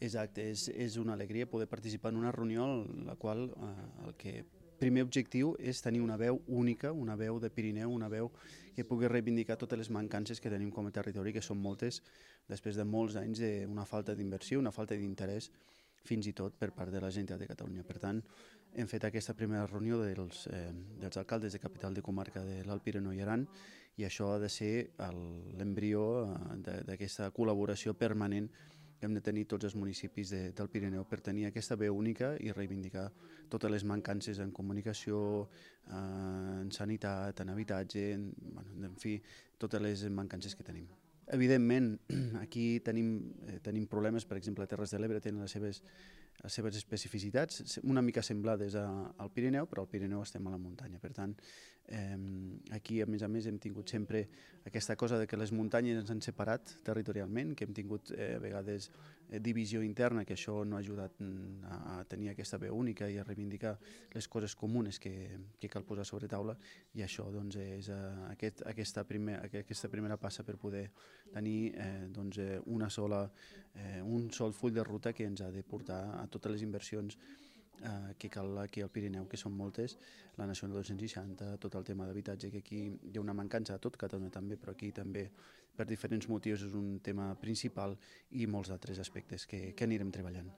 Exacte, és una alegria poder participar en una reunió en la qual el que primer objectiu és tenir una veu única, una veu de Pirineu, una veu que pugui reivindicar totes les mancances que tenim com a territori, que són moltes, després de molts anys d'una falta d'inversió, una falta d'interès, fins i tot per part de la Generalitat de Catalunya. Per tant, hem fet aquesta primera reunió dels alcaldes de capital de comarca de l'Alt Pirineu i Aran, i això ha de ser l'embrió d'aquesta col·laboració permanent que hem de tenir tots els municipis del Pirineu per tenir aquesta veu única i reivindicar totes les mancances en comunicació, en sanitat, en habitatge, en fi, totes les mancances que tenim. Evidentment, aquí tenim problemes, per exemple, a Terres de l'Ebre tenen les seves especificitats, una mica semblades al Pirineu, però al Pirineu estem a la muntanya. Per tant, aquí, a més, hem tingut sempre aquesta cosa de que les muntanyes ens han separat territorialment, que hem tingut a vegades divisió interna, que això no ha ajudat a tenir aquesta veu única i a reivindicar les coses comunes que cal posar sobre taula, i això doncs, és aquesta primera passa per poder tenir un sol full de ruta que ens ha de portar a totes les inversions que cal aquí al Pirineu, que són moltes, la Nacional 260, tot el tema d'habitatge, que aquí hi ha una mancança a tot Catalunya també, però aquí també per diferents motius és un tema principal, i molts altres aspectes que anirem treballant.